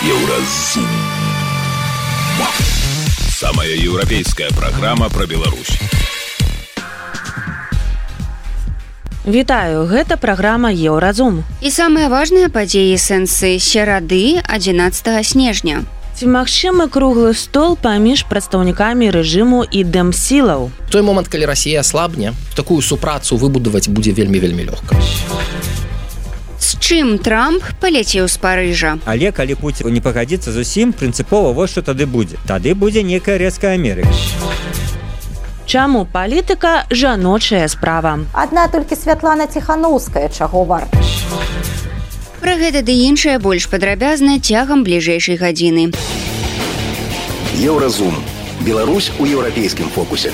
Еўразум. Самая европейская программа про Беларусь. Вітаю, гэта праграма Еўразум. І самыя важныя падзеі сэнсы серады 11 снежня. Ці магчымы круглы стол паміж прадстаўнікамі рэжыму і дэмсілаў? В той момант, калі Расія аслабне, такую супрацу выбудаваць будзе вельмі лёгка. З чым Трамп паляцеў з Парыжа? Але калі Пуцін не пагадзіцца зусім, прынцыпова вось што тады будзе. Тады будзе некая рэзкая Амерыка. Чаму палітыка жаночая справа? Адна толькі Святлана Ціханаўская чаго варта. Пра гэта ды іншае больш падрабязна цягам бліжэйшай гадзіны. Еўразум. Беларусь у еўрапейскім фокусе.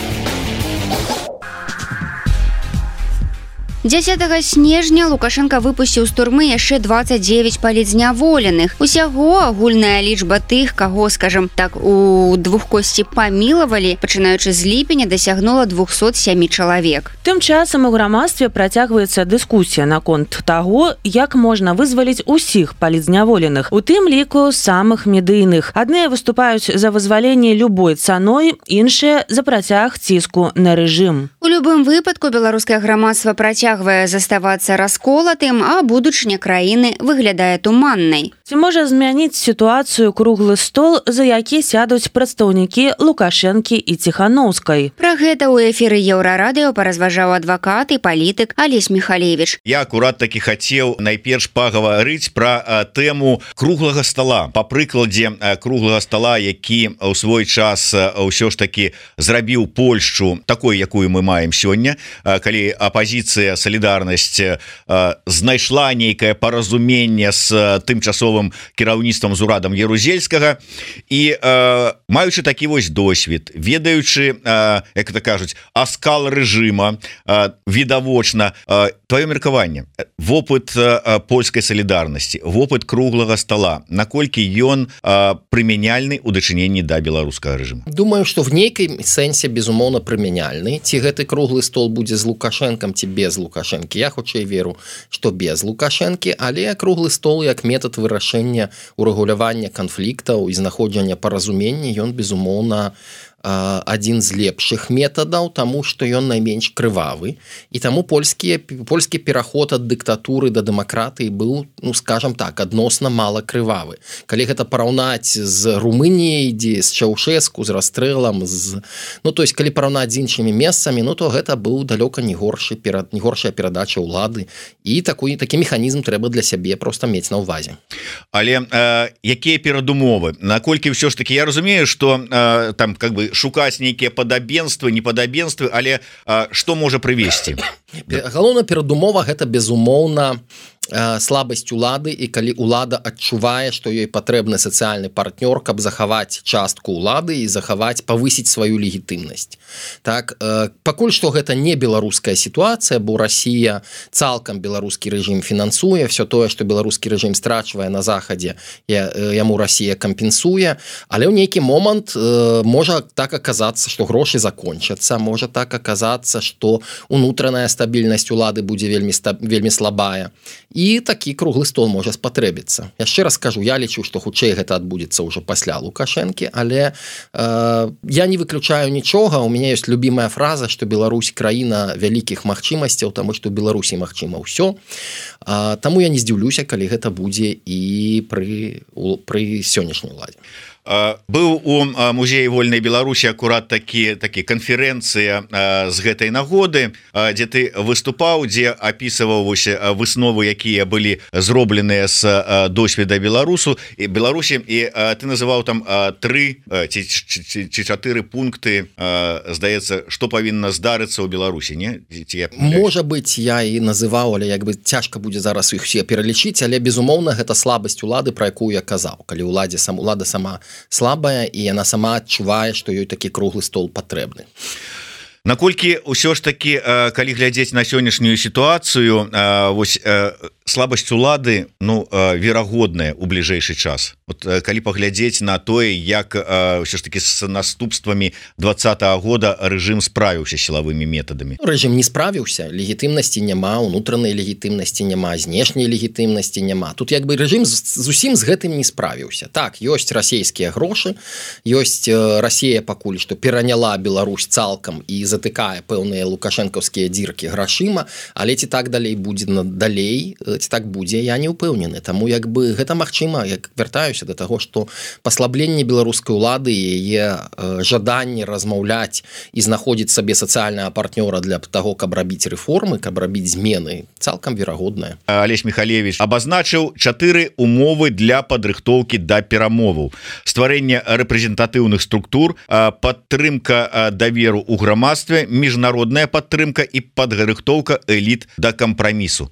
10 снежня Лукашенко выпусціў з турмы яшчэ 29 палітзняволеных. Усяго агульная лічба тых, каго, скажам так, у двухкосці памілавалі, пачынаючы з ліпеня, дасягнула 207 чалавек. Тым часам у грамадстве працягваецца дыскусія наконт таго, як можна вызваліць усіх палітзняволеных, у тым ліку самых медыйных. Адныя выступаюць за вызваленне любой цаной, іншыя за працяг ціску на рэжым. У любым выпадку беларускае грамадства працягвае заставацца расколатым, а будучыня краіны выглядае туманнай. Ці можа змяніць сітуацыю круглы стол, за які сядуць прадстаўнікі Лукашэнкі і Ціханаўскай? Пра гэта ў эфіры Еўрарадыё паразважаў адвакат і палітык Алесь Михалевич. Я акурат такі хацеў найперш пагаварыць пра тэму круглага стола. Па прыкладзе круглага стола, які ў свой час ўсё ж такі зрабіў Польшчу такой, якую мы маем сёння, калі апазіцыя Салідарнасць знайшла нейкае паразуменне з тымчасовым кіраўніцтвам з урадам Ярузельскага і маючы такі вось досвед, ведаючы, як это кажуць, аскал рэжыма відавочна, твоё меркаванне, вопыт польскай салідарнасці, вопыт круглага стола, наколькі ён прымяняльны ў дачыненні да беларускага рэжыму? Думаю, што в нейкай сэнсе безумоўна прымяняльны. Ці гэты круглы стол будзе з Лукашэнкам, ці без Лукашэнкі. Я хутчэй веру, што без Лукашэнкі, але круглы стол як метад вырашэння урэгулявання канфліктаў і знаходжання паразумення, ён безумоўна адзін з лепшых метадаў, таму што ён найменш крывавы, і таму польскі пераход ад дыктатуры да дэмакратыі быў, ну скажам так, адносна мала крывавы. Калі гэта параўнаць з Румыніяй, дзе з Чаўшэску, з расстрэлам, то есть калі параўнаць з іншымі месцамі, то гэта быў далёка не горшая перадача ўлады, і такі механізм трэба для сябе проста мець на ўвазе. Але якія перадумовы? Наколькі ўсё ж такі, я разумею, што там как бы шукаць нейкія падабенствы, непадабенствы, але што можа прывесці? Галоўная перадумова гэта безумоўна слабасць улады, і калі улада адчувае, што ёй патрэбны сацыяльны партнёр, каб захаваць частку улады і павысіць сваю легітымнасць. Так, пакуль што гэта не беларуская сітуацыя, бо Расія цалкам беларускі рэжым фінансуе, все тое, што беларускі рэжым страчвае на захадзе, яму Расія кампенсуе, але ў нейкі момант можа так аказацца, што грошы закончацца, можа так аказацца, што унутраная стабільнасць улады будзе вельмі слабая. І такі круглы стол можа спатрэбіцца. Яшчэ раз кажу, я лічу, што хутчэй гэта адбудзецца ўжо пасля Лукашэнкі, але я не выключаю нічога. У мяне ёсць любімая фраза, што Беларусь краіна вялікіх магчымасцяў, таму што ў Беларусі магчыма ўсё. Таму я не здзіўлюся, калі гэта будзе і пры сённяшняй уладзе. Быў у музеі вольнай Беларусі акурат такі канферэнцыя з гэтай нагоды, дзе ты выступаў, дзе апісваў высновы, якія былі зробленыя з досведа Беларусі, і ты называў там 3 ці 4 пункты, здаецца, што павінна здарыцца ў Беларусі, не? Можа быць, я і называў, але як бы цяжка будзе зараз іх усе пералічыць, але безумоўна гэта слабасць улады, пра якую я казаў, калі улада сама слабая, і яна сама адчувае, што ёй такі круглы стол патрэбны. Наколькі ўсё ж такі, калі глядзець на сённяшнюю сітуацыю, слабасць улады верагодная у бліжэйшы час. Вот, калі паглядзець на тое, як ўсё ж таки з наступствамі 2020 года рэжым справіўся сілавымі метадамі. Рэжым не справіўся, легітымнасці няма, унутранай легітымнасці няма, знешняй легітымнасці няма. Тут як бы рэжым зусім з гэтым не справіўся. Так, ёсць расійскія грошы, ёсць Расія пакуль што пераняла Беларусь цалкам і затыкае пэўныя лукашэнкаўскія дзіркі грашыма, але ці так далей будзе далей, ці так будзе, я не ўпэўнены. Таму як бы гэта магчыма, як вяртаюся да таго, што паслабленне беларускай улады і яе жаданне размаўляць і знаходзіць сабе сацыяльнага партнёра для таго, каб рабіць рэформы, каб рабіць змены, цалкам верагоднае. Алесь Михалевич абазначыў 4 умовы для падрыхтоўкі да перамоваў. Стварэнне рэпрэзентатыўных структур, падтрымка даверу ў грамадстве, міжнародная падтрымка і падрыхтоўка эліт да кампрамісу.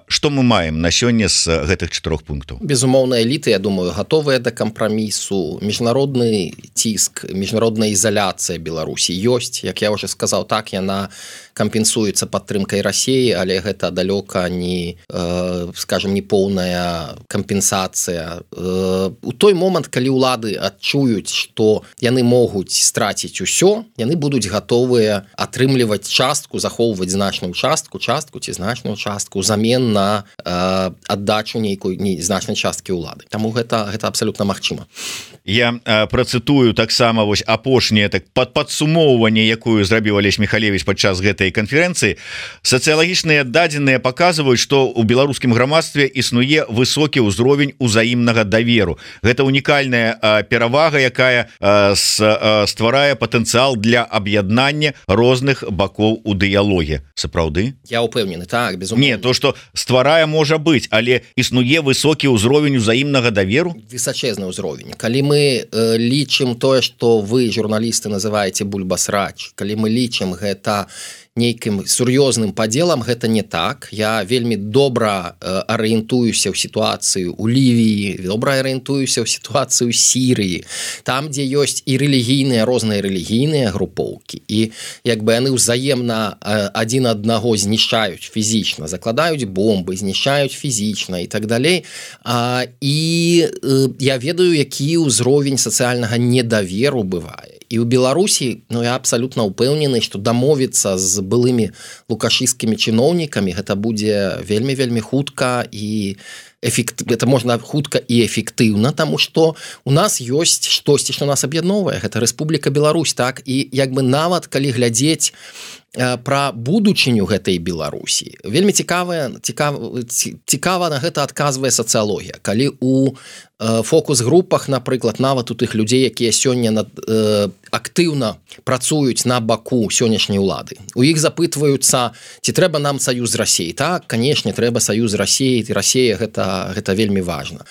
Што мы маем на сёння з гэтых 4 пунктаў? Безумоўна, эліты, я думаю, гатовыя да кампрамісу. Міжнародны ціск, міжнародная ізаляцыя Беларусі ёсць. Як я ўжо сказаў, так, яна кампенсуецца падтрымкай Расіі, але гэта далёка не, скажем, не поўная кампенсацыя. У той момант, калі ўлады адчуюць, што яны могуць страціць усё, яны будуць гатовыя атрымліваць частку, захоўваць значную частку ці значную частку ўзамен на аддачу нейкой значнай часткі ўлады. Таму гэта абсалютна магчыма. Я працытую таксама вось апошняе падсумоўванне, якую зрабіў Алесь Михалевич падчас гэтай канферэнцыі. Сацыялагічныя дадзеныя паказваюць, што ў беларускім грамадстве існуе высокі ўзровень узаемнага даверу. Гэта унікальная перавага, якая стварае патэнцыял для аб'яднання розных бакоў у дыялоге. Сапраўды? Я ўпэўнены, так, безумоўна. Не, то, што стварае можа быць, але існуе высокі ўзровень узаемнага даверу? Высачэзны ўзровень. Калі мы лічым тое, што вы, журналісты, называеце бульбасрач, калі мы лічым гэта нейкім сур'ёзным падзелам, гэта не так. Я вельмі добра арыентуюся ў сітуацыю ў Лівіі, добра арыентуюся ў сітуацыю Сірыі, там, дзе ёсць і рэлігійныя, розныя рэлігійныя групоўкі, і як бы яны ўзаемна адзін аднаго знішчаюць фізічна, закладаюць бомбы, знішчаюць фізічна і так далей. І я ведаю, які ўзровень сацыяльнага недаверу бывае. І ў Беларусі, я абсалютна ўпэўнены, што дамовіцца з былымі лукашысцкімі чыноўнікамі гэта будзе вельмі хутка і это можна хутка і эфектыўна, таму што у нас ёсць штосьці, што нас аб'ядноўвае. Гэта Рэспубліка Беларусь, так, і як бы нават калі глядзець пра будучыню гэтай Беларусі, вельмі цікава на гэта адказвае сацыялогія. Калі у фокус-групах, напрыклад, нават у тых людзей, якія сёння актыўна працуюць на баку сённяшняй улады, у іх запытваюцца, ці трэба нам саюз з Расіяй. Так, канешне, трэба саюз з Расіяй, і Расія гэта вельмі важна.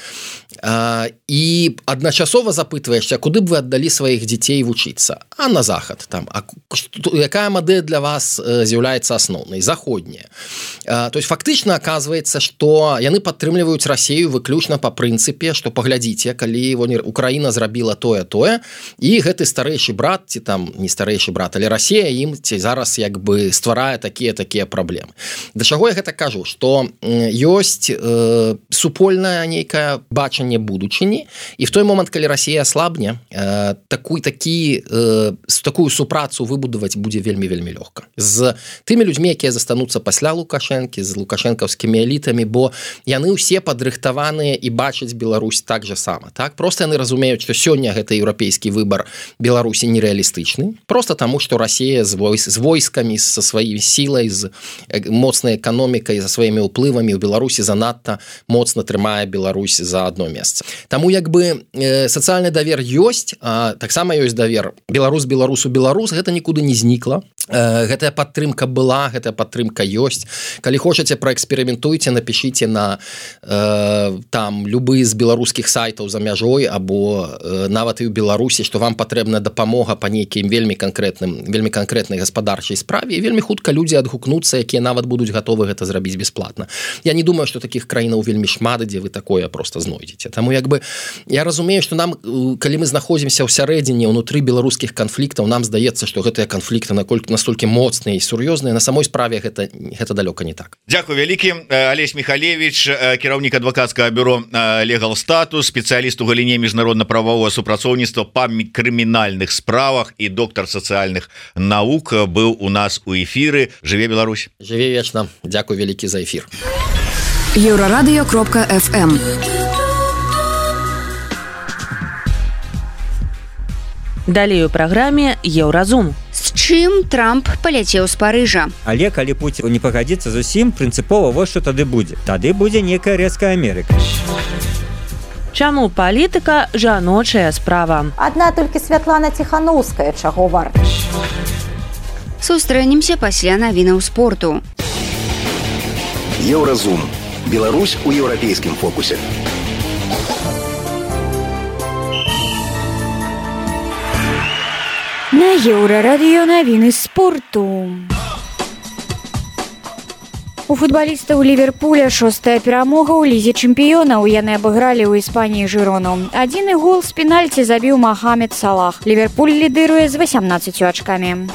І адначасова запытваешся, куды б вы аддалі сваіх дзяцей вучыцца? А на захад там. Якая мадэль для вас з'яўляецца асноўнай? Заходняя. То есть фактычна аказваецца, што яны падтрымліваюць Расію выключна па прынцыпе, што паглядзіце, калі Украіна зрабіла тое, і гэты старэйшы брат, ці там не старэйшы брат, але Расія ім ці зараз як бы стварае такія праблемы. Да чаго я гэта кажу? Што ёсць супольнае нейкае бачанне будучыні, і в той момант, калі Расія аслабне, такую супрацу выбудаваць будзе вельмі лёгка. З тымі людзьмі, якія застануцца пасля Лукашэнкі, з лукашэнкаўскімі элітамі, бо яны ўсе падрыхтаваныя і бачаць Беларусь так же сама. Так? Просто яны разумеюць, што сёння гэты еўрапейскі выбар Беларусі нереалістычны, просто таму, што Расія з войскамі, са сваёй сілай, з моцнай эканомікай, за сваімі ўплывамі ў Беларусі занадта моцна трымае Беларусь за адно месца. Таму як бы сацыяльны давер ёсць, таксама ёсць давер Беларус, гэта нікуды не знікла. Гэтая падтрымка была, гэтая падтрымка ёсць. Калі хочаце, праэксперыментуйце, напішыце на там любы з беларускіх сайтаў за мяжой або нават і ў Беларусі, што вам патрэбна дапамога па нейкім вельмі канкрэтнай гаспадарчай справе, і вельмі хутка людзі адгукнуцца, якія нават будуць гатовы гэта зрабіць бясплатна. Я не думаю, што такіх краінаў вельмі шмат, дзе вы такое просто знойдзеце. Таму як бы я разумею, што нам, калі мы знаходзімся ў сярэдзіне ўнутры беларускіх канфліктаў, нам здаецца, што гэтыя канфлікты настолькі моцныя і сур'ёзныя, на самой справе гэта далёка не так. Дзякуй вялікі. Алесь Михалевич, кіраўнік адвакацкага бюро Legal Status, спецыяліст у галіне міжнародна-правового супрацоўніцтва па крымінальных справах і доктар сацыяльных навук быў у нас у эфіры. Жыве Беларусь. Жыве вечна. Дзякуй вялікі за эфір. Еврорадио.FM. Далей у праграме Еўразум. З чым Трамп паляцеў з Парыжа. Але калі Пуцін не пагадзіцца зусім, прынцыпова вось што тады будзе. Тады будзе некая рэзкая Амерыка. Чаму палітыка жаночая справа? Адна толькі Святлана Ціханаўская чаго варта. Сустрэнемся пасля навінаў спорту. Еўразум. Беларусь у еўрапейскім фокусе. На Еўрарадыё навіны спорту. У футбалістаў Ліверпуля 6-я перамога ў лізе чэмпіёнаў. Яны абыгралі ў Іспаніі Жырону. Адзіны гол з пенальці забіў Махамед Салах. Ліверпуль лідыруе з 18 ачкамі.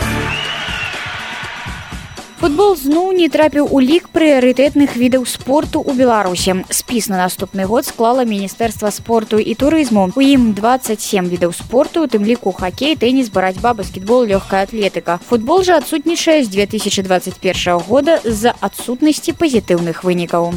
Футбол зноў не трапіў у лік прыярытэтных відаў спорту ў Беларусі. Спіс на наступны год склала Міністэрства спорту і турызму. У ім 27 відаў спорту, у тым ліку хакей, тэніс, барацьба, баскетбол, лёгкая атлетыка. Футбол жа адсутнічае з 2021 года з-за адсутнасці пазітыўных вынікаў.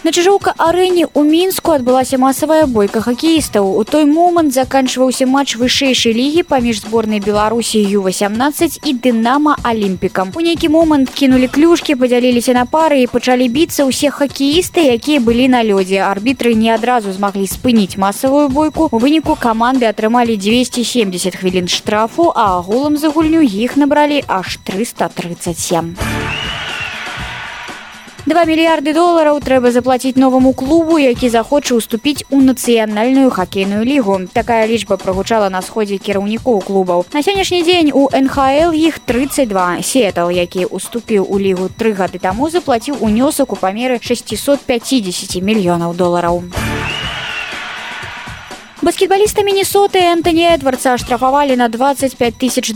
На Чижоўка-арэне ў Мінску адбылася масавая бойка хакеістаў. У той момант заканчваўся матч вышэйшай лігі паміж зборнай Беларусі Ю-18 і Дынама Алімпікам. У нейкі момант кінулі клюшкі, падзяліліся на пары і пачалі біцца ўсе хакеісты, якія былі на лёдзе. Арбітры не адразу змаглі спыніць масавую бойку. У выніку каманды атрымалі 270 хвілін штрафу, а агулам за гульню іх набралі аж 337. $2 мільярды трэба заплаціць новаму клубу, які захоча ўступіць у нацыянальную хакейную лігу. Такая лічба прагучала на сходзе кіраўнікоў клубаў. На сённяшні дзень у НХЛ іх 32. Сіэтл, які ўступіў у лігу 3 гады таму, заплаціў унёсак у памеры $650 мільёнаў. Баскетбаліста Міннесоты Энтоні Эдвардса аштрафавалі на $25 тысяч.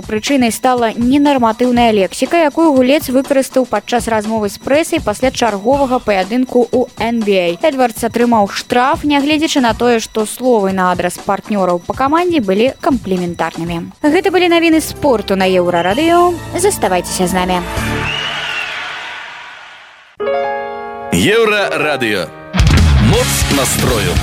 Прычынай стала ненарматыўная лексіка, якую гулец выкарыстаў падчас размовы з прэсай пасля чарговага паядынку ў NBA. Эдвардс атрымаў штраф, нягледзячы на тое, што словы на адрас партнёраў па камандзе былі кампліментарнымі. Гэта былі навіны спорту на Еўрарадыё. Заставайцеся з намі. Еўрарадыё. Моц настрою.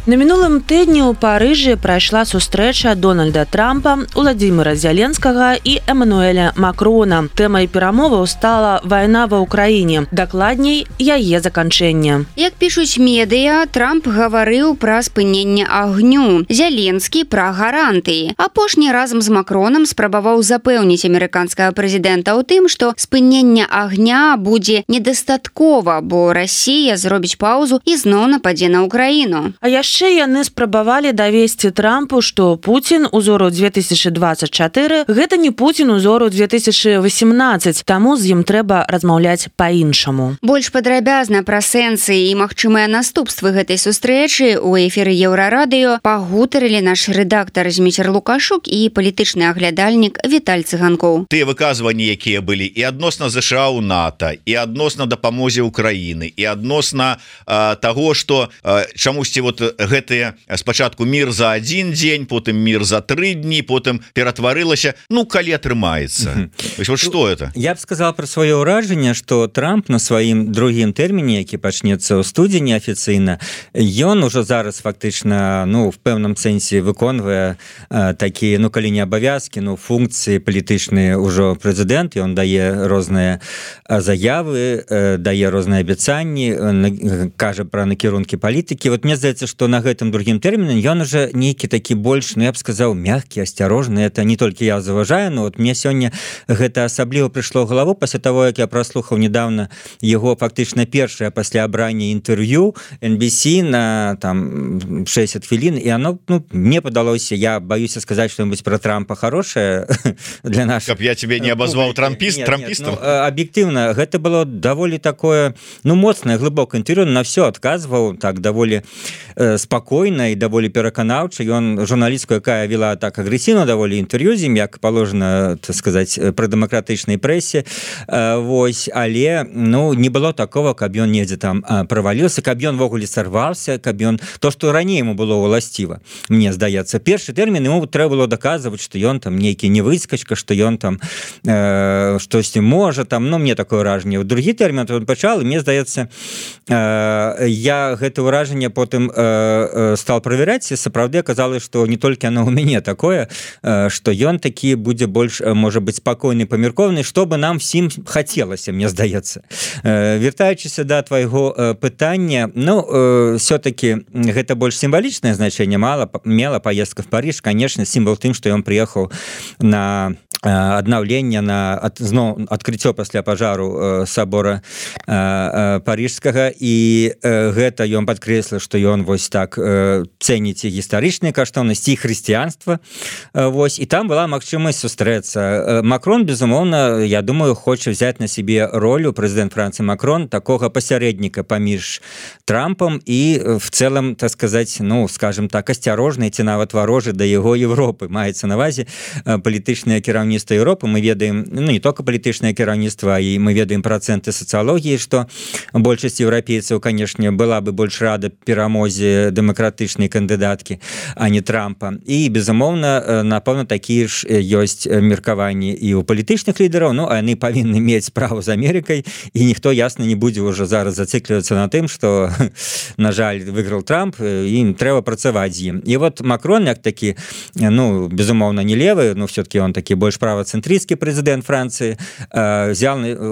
На мінулым тыдні ў Парыжы прайшла сустрэча Дональда Трампа, Уладзіміра Зяленскага і Эмануэля Макрона. Тэмай перамоваў стала вайна ва ўкраіне, дакладней, яе заканчэнне. Як пішуць медыа, Трамп гаварыў пра спыненне агню, Зяленскі пра гарантыі. Апошні разам з Макронам спрабаваў запэўніць амерыканскага прэзідэнта ў тым, што спынення агня будзе недастаткова, бо Расія зробіць паўзу і зноў нападзе на Ўкраіну. А яшчэ яны спрабавалі давесці Трампу, што Пуцін узору 2024 гэта не Пуцін узору 2018, таму з ім трэба размаўляць па-іншаму. Больш падрабязна пра сэнсы і магчымыя наступствы гэтай сустрэчы ў эфіры Еўрарадыё пагутарылі наш рэдактар Зміцер Лукашук і палітычны аглядальнік Віталь Цыганкоў. Тыя выказванні, якія былі і адносна ЗША ў НАТО, і адносна дапамозе Украіны, і адносна таго, што чамусьці вот гэтыя спачатку мір за 1 дзень, потым мір за 3 дні, потым ператварылася, ну калі атрымаецца. Вот что это? Я б сказал пра сваё ўражанне, што Трамп на сваім другім тэрміне, які пачнецца ў студзені афіцыйна, ён ужо зараз фактычна, ну в пэўным сэнсе выконвае такія, ну калі не абавязкі, ну функцыі палітычныя ўжо прэзідэнт, ён дае розныя заявы, дае розныя абяцанні, кажа пра накірункі палітыкі. Вот мне здаецца, што на гэтым другім тэрміне ён уже нейкі такі больш, ну я б сказаў, мягкі, асцярожны. Это не толькі я заўважаю, но вот мне сёння гэта асабліва прыйшло ў галаву пасля таго, як я праслухаў недавно яго фактычна першае пасля абрання інтэрв'ю NBC на там 60 хвілін, і оно, ну, мне падалося, я боюся сказаць што-нибудь про Трампа хорошее для нас. Каб я тебе не абазваў трампістам? Ну, аб'ектыўна, гэта было даволі такое, ну, моцнае, глыбокае інтэрв'ю, на все адказваў, так, даволі спакойна і даволі пераканаўча. Ён журналістку, якая вела так агрэсіўна даволі інтэрв'ю з ім, як паложана, так сказаць, пры дэмакратычнай прэсе. Вось, але не было такого, каб ён недзе там праваліўся, каб ён ввогуле сарваўся, каб ён то, што раней ему было уласціва. Мне здаецца, першы тэрмін ему трэба было даказваць, што ён там нейкі не выскачка, што ён там штосьці можа там, мне такое ўражанне. У другі тэрмін он пачал, і мне здаецца, я гэта ўражанне потым стал правяраць, і сапраўды аказалось, што не толькі оно у мяне такое, што ён такі будзе больш, можа быць, спакойны, памяркованы, што бы нам всім хацелася, мне здаецца. Вяртаючыся да твайго пытання, все-таки гэта больш сімвалічнае значэнне мела поездка в Париж, конечно, сімвал тым, што ён прыехаў на аднаўленне, на адкрыццё пасля пажару сабора парижскага, і гэта ён падкрэсліў, што ён вось так цэніць гістарычныя каштоўнасці і хрысціянства. Вось, і там была магчымасць сустрэцца. Макрон, безумоўна, я думаю, хоча взять на себе роль, прэзідэнт Францыі Макрон, такога пасярэдніка паміж Трампам і в целом, так сказать, скажем так, асцярожны ці нават варожы да яго Европы. Маецца на ўвазе палітычнае кіраўніцтва Европы. Мы ведаем, не только палітычнае кіраўніцтва, і мы ведаем працэнты сацыялогіі, што большасць еўрапейцаў, канешне, была бы больш рада перамозе дэмакратычнай кандыдаткі, а не Трампа. І, безумоўна, напэўна, такія ж ёсць меркаванні і ў палітычных лідараў, а яны павінны мець справу з Амерыкай, і ніхто, ясна, не будзе ўжо зараз зациклівацца на тым, што, на жаль, выйграў Трамп, ім трэба працаваць з ім. І вот Макрон, як такі, безумоўна, не левы, все-таки он такі больш правацэнтрысцкі прэзідэнт Францыі,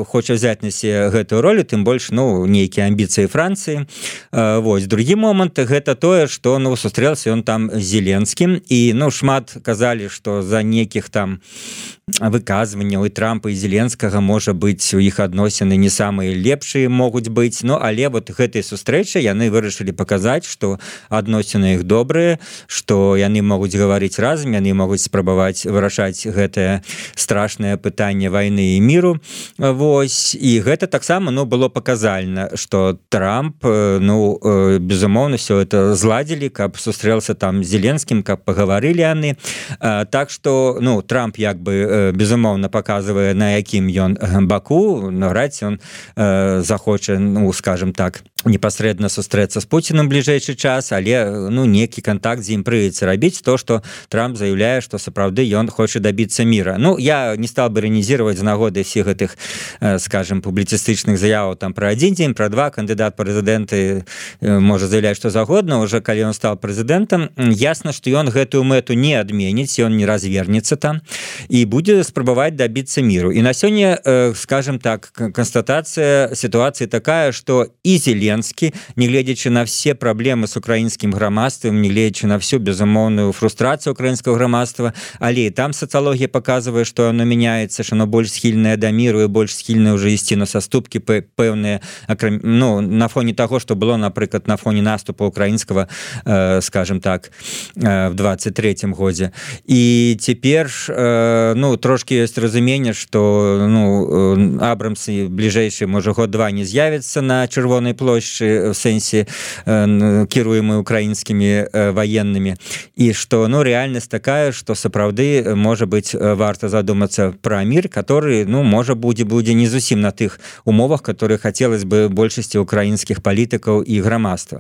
хоча взять на себе гэтую ролю, тым больш, нейкія амбіцыі Францыі. Вось, другі момант, гэта тое, што, сустрэлся ён там з Зеленскім, і, шмат казалі, што за нейкіх там выказванняў і Трампа і Зеленскага, можа быць, у іх адносіны не самыя лепшыя могуць быць, але вот гэтай сустрэчы яны вырашылі паказаць, што адносіны іх добрыя, што яны могуць гаварыць разам, яны могуць спрабаваць вырашаць гэтае страшнае пытанне вайны і міру. Вось, і гэта таксама, было паказальна, што Трамп, безумоўна, все это зладзілі, каб сустрэлся там з Зеленскім, каб пагаварылі яны. Так што, Трамп як бы безумоўна паказвае, на якім ён баку, наўрад ці ён захоча, скажем так, непасрэдна сустрэцца з Пуціным бліжэйшы час, але нейкі кантакт з ім прыйдзецца рабіць, то, што Трамп заяўляе, што сапраўды ён хоча дабіцца міра. Я не стал бы іранізировать з нагоды всіх гэтых, скажем, публіцыстычных заяваў там пра адзін дзень, пра два, кандыдат прэзідэнты можа заявляць што загодна, уже калі ён стал прэзідэнтам, ясна, што ён гэтую мэту не адменіць, ён не развернецца там і будзе спрабаваць дабіцца міру. І на сёння, скажем так, канстатацыя сітуацыі такая, што і Зеленскі, не гледзячы на все праблемы з украінскім грамадствам, не гледзячы на всю безумоўную фрустрацыю украінскага грамадства, але і там сацыялогія паказвае, што оно мяняецца, што оно больш схільнае да міру і больш схільнае ўжо ісці на саступкі пэўныя, на фоне таго, што было, напрыклад, на фоне наступу украінскага, скажем так, в 23-м годзе. І цяпер, трошки ёсць разуменне, што Абрамсы бліжэйшы, можа, год-два не з'явіцца на Чырвонай плошчы в сэнсе кіруемы украінскімі ваеннымі, і што, рэальнасць такая, што сапраўды, можа быць, варта задумацца пра мір, который, можа, будзе не зусім на тых умовах, которые хацелось бы большасці украінскіх палітыкаў і грамадства.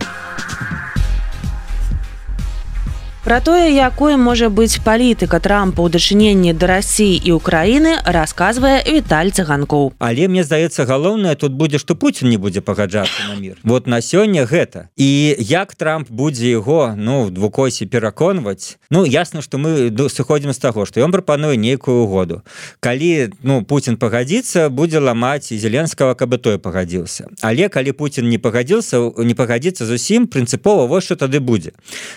Пра тое, якой можа быць палітыка Трампа ў дачыненні да Расіі і Украіны, расказвае Віталь Цыганкоў. Але мне здаецца, галоўнае тут будзе, што Пуцін не будзе пагаджацца на мір. Вот на сёння гэта. І як Трамп будзе яго, в двукосе пераконваць, ясна, што мы сыходзім з таго, што ён прапануе нейкую угоду. Калі, Пуцін пагадзіцца, будзе ламаць і Зеленскага, каб той пагадзіўся. Але калі Пуцін не пагадзіцца зусім, прынцыпова, вось што тады будзе.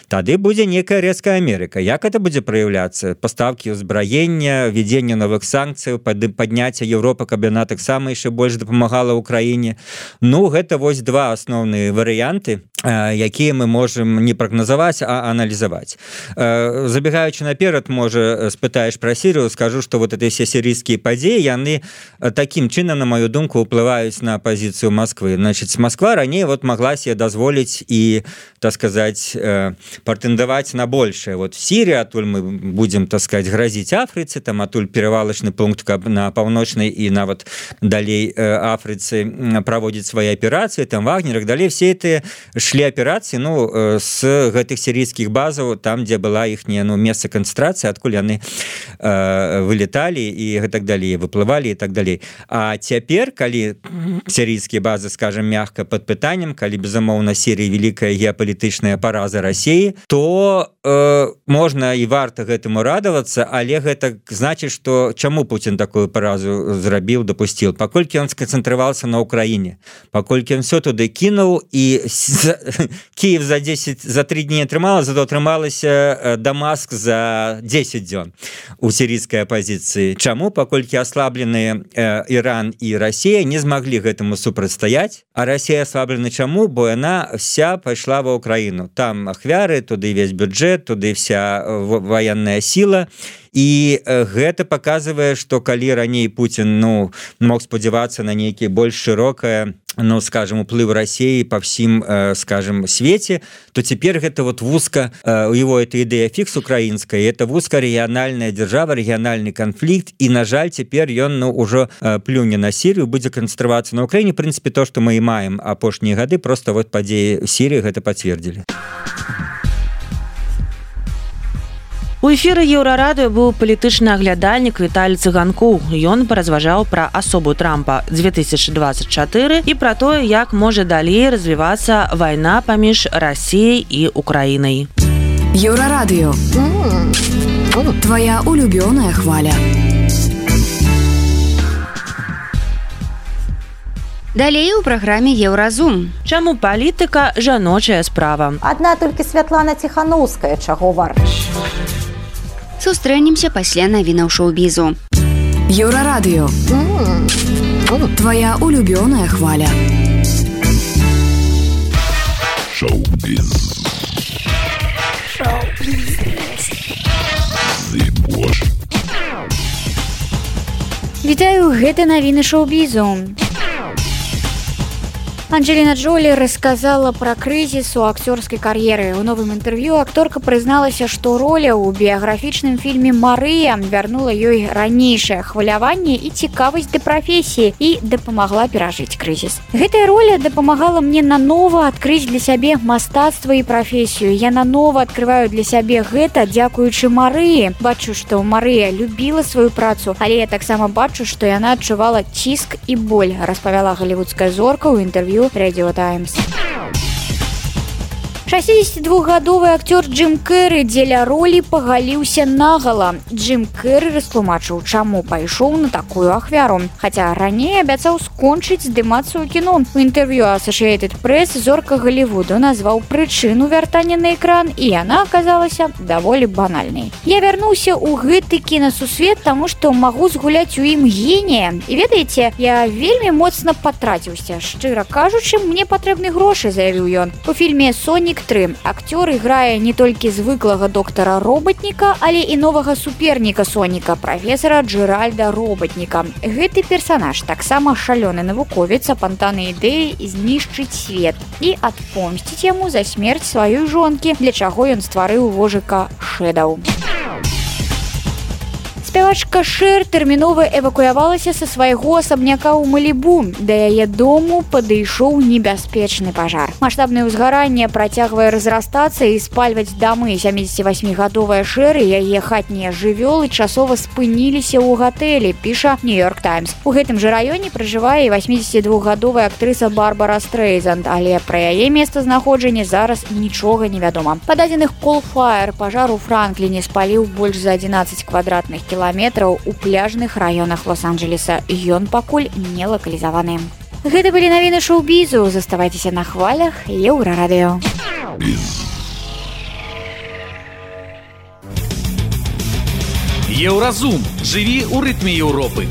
Тады будзе нейкая рэзкая Амерыка. Як это будзе праяўляцца? Пастаўкі ўзбраення, введзенне новых санкцыяў, падняцце Еўропы, каб яна таксама яшчэ больш дапамагала Украіне. Гэта вось два асноўныя варыянты. якія мы можем не прагназаваць, а аналізаваць. Забегаючы наперад, можа, спытаеш пра Сірыю, скажу, што вот эти все сірійскія падзеі, яны такім чынам, на маю думку, уплываюць на пазіцыю Москвы. Значит, Москва раней вот могла себе дазволіць і, так сказать, прэтэндаваць на большее. Вот в Сирии, атуль мы будем, так сказать, грозить Африце, там атуль перевалочный пункт на паўночнай і нават далей Африцы проводить свои операции, там Вагнер и далее, все это шли операции, ну, с гэтых сирийских базаў, там, где была их место концентрации, откуль яны вылетали и так далее, выплывали и так далее. А теперь, калі сирийские базы, скажем, мягко под пытанием, калі, безумоўна, Сирия великая геополитичная пораза России, то можно и варта гэтаму радоваться, але гэта значит, что чему Путин такую поразу зрабіў, допустил? Паколькі он сконцентрировался на Украине, паколькі он все туды кинул, и Киев за 3 дні атрымала, зато атрымалася Дамаск за 10 дзён у сирийской оппозиции. Чаму? Паколькі ослабленные Иран и Россия не смогли гэтаму супрацьстаяць, а Россия ослаблена чаму? Бо она вся пошла в Украину. Там ахвяры, туды весь бюджет, туды вся военная сила. І гэта паказвае, што калі раней Путин мог спадзявацца на нейкі больш шырокае, скажем, уплыв России по всем, скажем, свете, то теперь это вот вузко, его эта идея фикс украинская, это вузкорегиональная держава, региональный конфликт, и, на жаль, теперь он уже плюне на Сирию, будет концентрироваться на Украине. В принципе, то, что мы и маем апошние годы, просто вот падеи Сирии это подтвердили. У эфіры Еўрарадыё быў палітычны аглядальнік Віталій Цыганкоў. Ён паразважаў пра асобу Трампа 2024 і пра тое, як можа далей развівацца вайна паміж Расіяй і Украінай. Еўрарадыё. Твоя улюбёная хваля. Далей у праграме Еўразум. Чаму палітыка жаночая справа? Адна толькі Святлана Ціханаўская чаго варта. Сустрэнемся пасля навінаў шоу-бізу. Еўрарадыё. Твоя улюбёная хваля. Шоу-біз. Вітаю, гэта навіны шоу-бізу. Анджеліна Джолі рассказала пра крызіс у акцёрскай кар'еры. У новым інтэрв'ю акторка прызналася, што роля ў біяграфічным фільме «Марыя» вярнула ёй ранейшае хваляванне і цікавасць да прафесіі і дапамагла перажыць крызіс. Гэтая роля дапамагала мне нанова адкрыць для сябе мастацтва і прафесію. Я нанова адкрываю для сябе гэта дзякуючы Марыі. Бачу, што Марыя любіла сваю працу, але я таксама бачу, што яна адчувала ціск і боль, распавяла галівудская зорка ў інтэрв'ю Radio Times. 62-гадовы акцёр Джим Керрі дзеля ролі пагаліўся нагала. Джим Керрі растлумачыў, чаму пайшоў на такую ахвяру. Хаця раней абяцаў скончыць здымацца ў кіно. У інтэрв'ю Associated Press зорка Галівуду назваў прычыну вяртання на экран, і яна аказалася даволі банальнай. Я вярнуўся ў гэты кінасусвет, таму што магу згуляць у ім генія. І ведаеце, я вельмі моцна патраціўся. Шчыра кажучы, мне патрэбны грошы, заявіў ён. У фільме «Сонік 3» акцёр іграе не толькі звыклага доктара Роботніка, але і новага суперніка Соніка, прафесара Джеральда Роботніка. Гэты персанаж таксама шалёны навуковец, апантаны ідэі знішчыць свет і адпомсціць яму за смерць сваёй жонкі, для чаго ён стварыў вожыка Шэдаў. Спявачка Шэр тэрмінова эвакуявалася са свайго асабняка ў Малібу. Да яе дому падышоў небяспечны пажар. Маштабнае ўзгаранне працягвае разрастацца і спальваць дамы. 78-гадовая Шэр і яе хатнія жывёлы часова спыніліся ў гатэлі, піша Нью-Йорк Таймс. У гэтым жа раёне пражывае 82-гадовая актрыса Барбара Стрейзанд, але пра яе месцазнаходжанне зараз нічога не вядома. Па дадзеных Coal Fire пажар у Франкліне спаліў больш за 11 квадратных кіламетраў у пляжных раёнах Лос-Анджелеса. Ён пакуль не лакалізаваны. Гэта былі навіны шоу-бізу. Заставайцеся на хвалях Еўрарадыё. Еўразум. Жыві ў рытме Еўропы.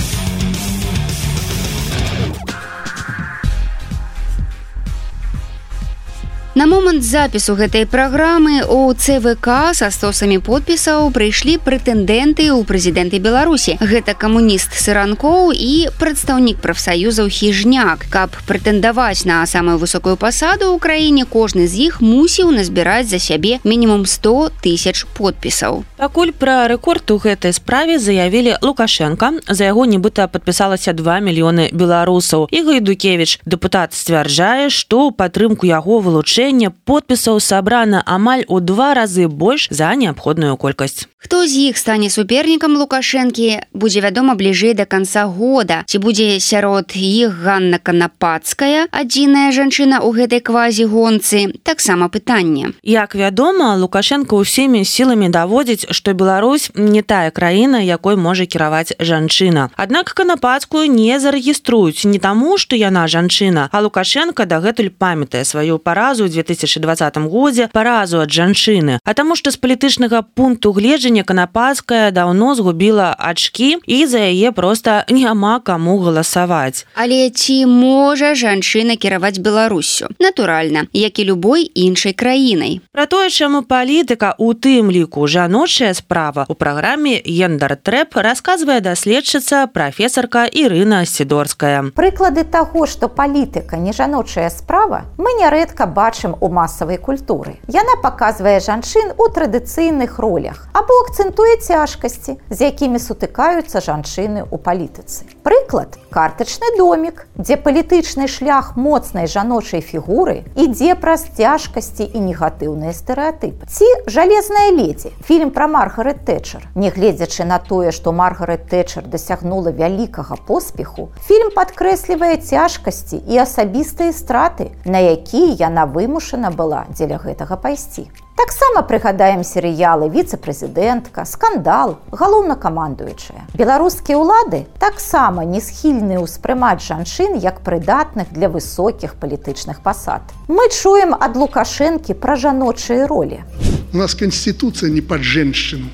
На момант запісу гэтай праграмы у ЦВК са стосамі подпісаў прыйшлі прэтэндэнты ў прэзідэнты Беларусі. Гэта камуніст Сыранкоў і прадстаўнік прафсаюзаў Хіжняк. Каб прэтэндаваць на самую высокую пасаду ў краіне, кожны з іх мусіў назбіраць за сябе мінімум 100 000 подпісаў. Пакуль пра рэкорд у гэтай справе заявілі Лукашенко. За яго нібыта падпісалася 2 мільёны беларусаў. І Гайдукевіч, дэпутат, сцвярджае, што ў падтрымку яго вылучэння подпісаў сабрана амаль у 2 разы больш за неабходную колькасць. Хто з іх стане супернікам Лукашэнкі, будзе вядома бліжэй да канца года. Ці будзе сярод іх Ганна Канапацкая, адзіная жанчына ў гэтай квазі-гонцы, таксама пытанне. Як вядома, Лукашенко ўсімі сіламі даводзіць, што Беларусь не тая краіна, якой можа кіраваць жанчына. Аднак Канапацкую не зарэгіструюць не таму, што яна жанчына, а Лукашенко дагэтуль памятае сваю паразу ў 2020 годзе, паразу ад жанчыны, а таму што з палітычнага пункту гледжання Канапацкая даўно згубіла ачкі і за яе проста няма каму галасаваць. Але ці можа жанчына кіраваць Беларуссю? Натуральна, як і любой іншай краінай. Пра тое, чаму палітыка, у тым ліку жаночая справа, у праграме «Гендер-трэп» расказвае даследчыца прафесарка Ірына Сідорская. Прыклады таго, што палітыка не жаночая справа, мы нярэдка бачым у масавай культуры. Яна паказвае жанчын у традыцыйных ролях або акцэнтуе цяжкасці, з якімі сутыкаюцца жанчыны ў палітыцы. Прыклад – картачны домік, дзе палітычны шлях моцнай жаночай фігуры ідзе праз цяжкасці і негатыўныя стэрэатыпы. Ці «Жалезная ледзі» – фільм пра Маргарет Тэтчер. Нягледзячы на тое, што Маргарет Тэтчер дасягнула вялікага поспеху, фільм падкрэслівае цяжкасці і асабістыя страты, на якія яна вымушана была дзеля гэтага пайсці. Таксама прыгадаем серыялы «Віцэ-прэзідэнтка», «Скандал», «Галоўнакамандуючая». Беларускія ўлады таксама не схільныя ўспрымаць жанчын як прыдатных для высокіх палітычных пасад. Мы чуем ад Лукашэнкі пра жаночыя ролі. У нас Конституция не под женщину.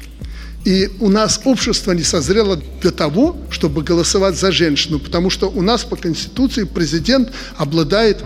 И у нас общество не созрело для того, чтобы голосовать за женщину, потому что у нас по Конституции президент обладает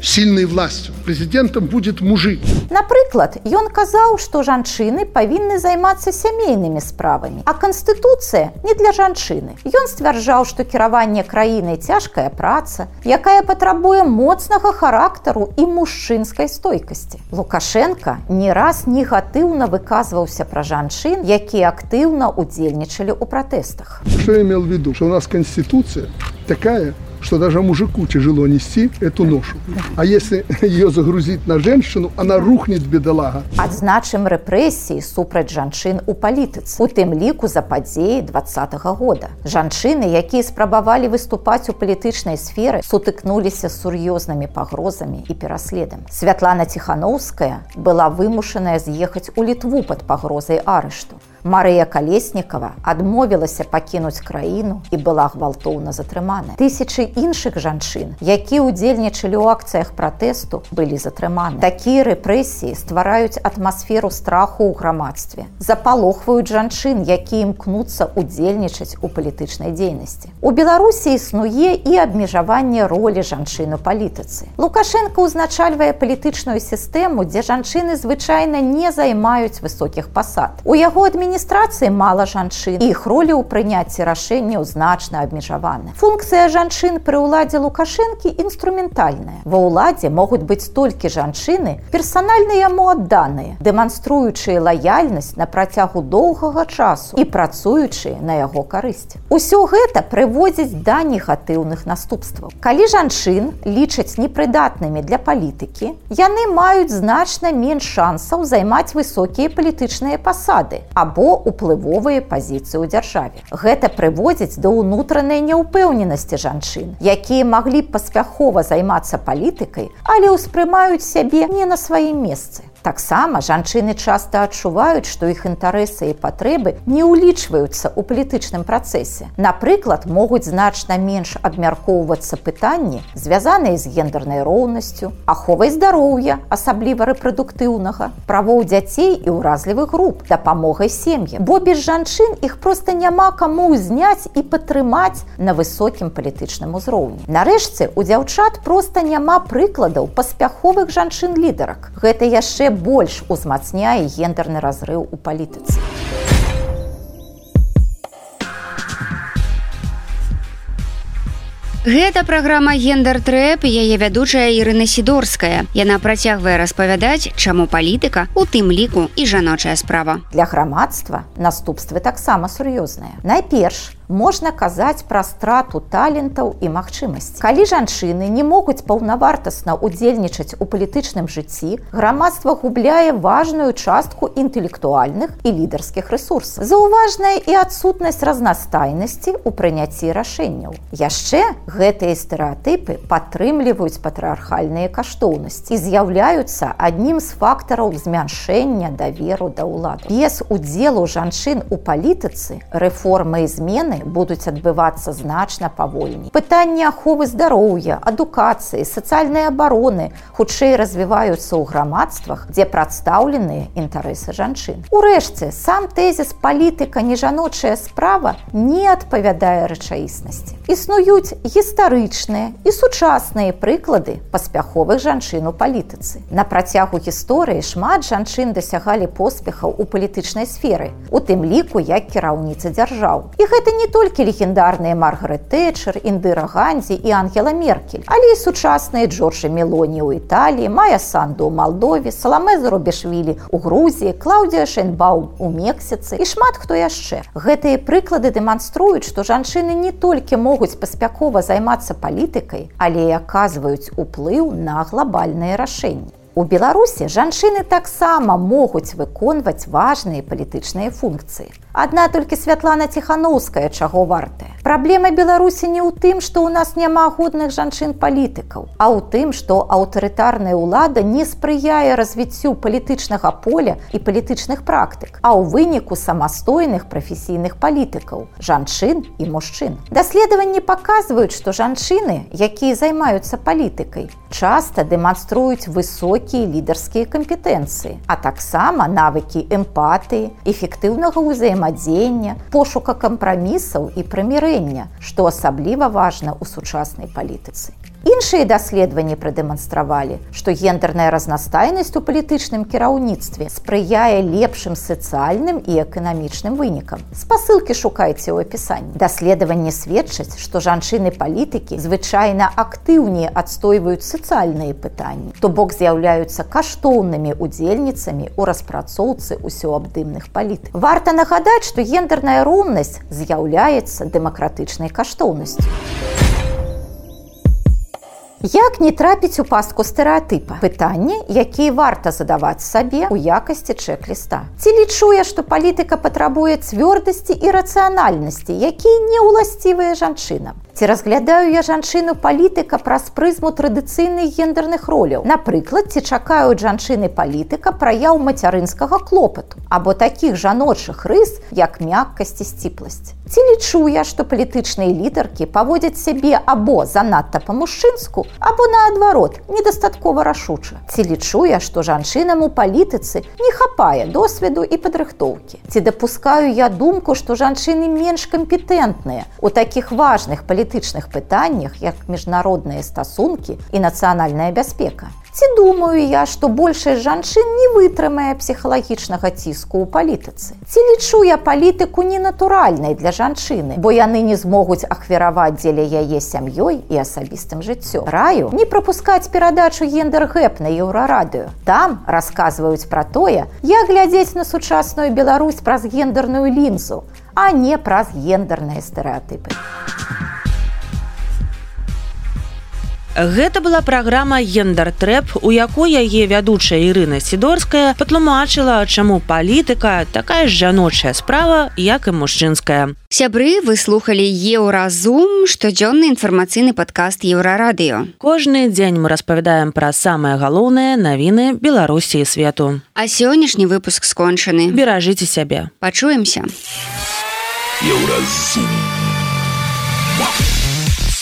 сильной властью. Президентом будет мужик. Напрыклад, ён казаў, што жанчыны павінны займацца сямейнымі справамі, а Канстытуцыя не для жанчыны. Ён сцвярджаў, што кіраванне краінай цяжкая праца, якая патрабуе моцнага характару і мужчынскай стойкасці. Лукашенко не раз негатыўна выказваўся пра жанчын, якія актыўна удзельнічалі ў пратэстах. Что я имел в виду? Что у нас Конституция такая, что даже мужику тяжело нести эту ношу. А если ее загрузить на женщину, она рухнет, бедолага. Адзначым рэпрэсіі супраць жанчын у палітыцы, у тым ліку за падзеі 2020 года. Жанчыны, якія спрабавалі выступаць у палітычнай сферы, сутыкнуліся з сур'ёзнымі пагрозамі і пераследам. Святлана Ціханаўская была вымушаная з'ехаць у Літву пад пагрозай арышту. Марыя Калеснікава адмовілася пакінуць краіну і была гвалтоўна затрымана. Тысячы іншых жанчын, якія ўдзельнічалі ў акцыях пратэсту, былі затрыманы. Такія рэпрэсіі ствараюць атмасферу страху ў грамадстве, запалохваюць жанчын, якія імкнуцца ўдзельнічаць у палітычнай дзейнасці. У Беларусі існуе і абмежаванне ролі жанчын у палітыцы. Лукашенко ўзначальвае палітычную сістэму, дзе жанчыны звычайна не займаюць высокіх пасад. У яго адміністрацыі мала жанчын, і іх ролі ў прыняцці рашэнняў значна абмежаваны. Функцыя жанчын пры ўладзе Лукашэнкі інструментальная. Ва ўладзе могуць быць толькі жанчыны, персанальна яму адданыя, дэманструючыя лаяльнасць на працягу доўгага часу і працуючыя на яго карысць. Усё гэта прыводзіць да негатыўных наступстваў. Калі жанчын лічаць непрыдатнымі для палітыкі, яны маюць значна менш шансаў займаць высокія палітычныя пасады або уплывовыя пазіцыі ў дзяржаве. Гэта прыводзіць да ўнутранай няўпэўненасці жанчын, якія маглі б паспяхова займацца палітыкай, але ўспрымаюць сябе не на сваім месцы. Таксама жанчыны часта адчуваюць, што іх інтарэсы і патрэбы не ўлічваюцца ў палітычным працэсе. Напрыклад, могуць значна менш абмяркоўвацца пытанні, звязаныя з гендернай роўнасцю, аховай здароўя, асабліва рэпрадуктыўнага, правоў дзяцей і ўразлівых груп, дапамогай сем'ям. Бо без жанчын іх проста няма каму ўзняць і падтрымаць на высокім палітычным узроўні. Нарэшце, у дзяўчат проста няма прыкладаў паспяховых жанчын-лідарак. Гэта яшчэ больш узмацняе гендерны разрыў у палітыцы. Гэта праграма «Гендер-трэп», яе вядучая Ірына Сідорская. Яна працягвае распавядаць, чаму палітыка, у тым ліку і жаночая справа. Для грамадства наступствы таксама сур'ёзныя. Найперш, можна казаць пра страту талентаў і магчымасцей. Калі жанчыны не могуць паўнавартасна удзельнічаць у палітычным жыцці, грамадства губляе важную частку інтэлектуальных і лідарскіх рэсурсаў. Заўважная і адсутнасць разнастайнасці ў прыняцці рашэнняў. Яшчэ гэтыя стэрэатыпы падтрымліваюць патрыархальныя каштоўнасці і з'яўляюцца аднім з фактараў змяншэння даверу да ўлады. Без удзелу жанчын у палітыцы рэформы і змены будуць адбывацца значна павольней. Пытанні аховы здароўя, адукацыі, сацыяльнай абароны хутчэй развіваюцца ў грамадствах, дзе прадстаўленыя інтарэсы жанчын. Урэшце, сам тэзіс «палітыка не жаночая справа» не адпавядае рэчаіснасці. Існуюць гістарычныя і сучасныя прыклады паспяховых жанчын у палітыцы. На працягу гісторыі шмат жанчын дасягалі поспехаў у палітычнай сферы, у тым ліку як кіраўніцы дзяржаў. І гэта не толькі легендарныя Маргарет Тэтчер, Індыра Ганзі і Ангела Меркель, але і сучасныя Джорджа Мелоні ў Італіі, Майя Санду ў Малдове, Саламэ Зарубішвілі ў Грузіі, Клаўдія Шэйнбаум у Мексіцы і шмат хто яшчэ. Гэтыя прыклады дэманструюць, што жанчыны не толькі могуць паспяхова займацца палітыкай, але і аказваюць уплыў на глобальныя рашэнні. У Беларусі жанчыны таксама могуць выконваць важныя палітычныя функцыі. Адна толькі Святлана Ціханаўская чаго вартая. Праблема Беларусі не ў тым, што ў нас няма годных жанчын-палітыкаў, а ў тым, што аўтарытарная ўлада не спрыяе развіццю палітычнага поля і палітычных практык, а ў выніку самастойных прафесійных палітыкаў, жанчын і мужчын. Даследаванні паказваюць, што жанчыны, якія займаюцца палітыкай, часта дэманструюць высокія лідарскія кампетэнцыі, а таксама навыкі эмпатыі, эфектыўнага ўзаемадзеяння, пошука кампрамісаў і прымірэння, што асабліва важна ў сучаснай палітыцы. Іншыя даследаванні прадэманстравалі, што гендерная разнастайнасць у палітычным кіраўніцтве спрыяе лепшым сацыяльным і эканамічным вынікам. Спасылкі шукайце ў апісанні. Даследаванні сведчаць, што жанчыны-палітыкі звычайна актыўней адстойваюць сацыяльныя пытанні, то бок з'яўляюцца каштоўнымі удзельніцамі ў распрацоўцы усеабдымных палітык. Варта нагадаць, што гендерная роўнасць з'яўляецца дэмакратычнай каштоўнасцю. Як не трапіць у пастку стэрэатыпа? Пытанні, якія варта задаваць сабе ў якасці чэк-ліста. Ці лічу я, што палітыка патрабуе цвёрдасці і рацыянальнасці, якія не ўласцівыя жанчынам? Ці разглядаю я жанчыну-палітыка праз прызму традыцыйных гендерных роляў? Напрыклад, ці чакаюць жанчыны-палітыка праяў мацярынскага клопату, або такіх жаночых рыс, як мяккасць і сціпласць? Ці лічу я, што палітычныя лідаркі паводзяць сябе або занадта па-мужчынску, або наадварот, недастаткова рашуча? Ці лічу я, што жанчынам у палітыцы не хапае досведу і падрыхтоўкі? Ці дапускаю я думку, што жанчыны менш кампетэнтныя у такіх важных палітычных пытаннях, як міжнародныя стасункі і нацыянальная бяспека? Ці думаю я, што большасць жанчын не вытрымае псіхалагічнага ціску ў палітыцы? Ці лічу я палітыку ненатуральнай для жанчыны, бо яны не змогуць ахвяраваць дзеля яе сям'ёй і асабістым жыццём? Раю не прапускаць перадачу «Гендер-гэп» на Еўрарадыё. Там расказваюць пра тое, як глядзець на сучасную Беларусь праз гендерную лінзу, а не праз гендерныя стэрэатыпы. Гэта была праграма «Гендер-трэп», у якой яе вядучая Ірына Сідорская патлумачыла, чаму палітыка такая ж жаночая справа, як і мужчынская. Сябры, вы слухалі «Еўразум», штодзённы інфармацыйны падкаст «Еўрарадыё». Кожны дзень мы распавядаем пра самыя галоўныя навіны Беларусі і свету. А сённяшні выпуск скончаны. Беражыце сябе. Пачуемся. Еўразум.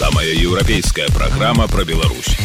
Самая еўрапейская программа про Беларусь.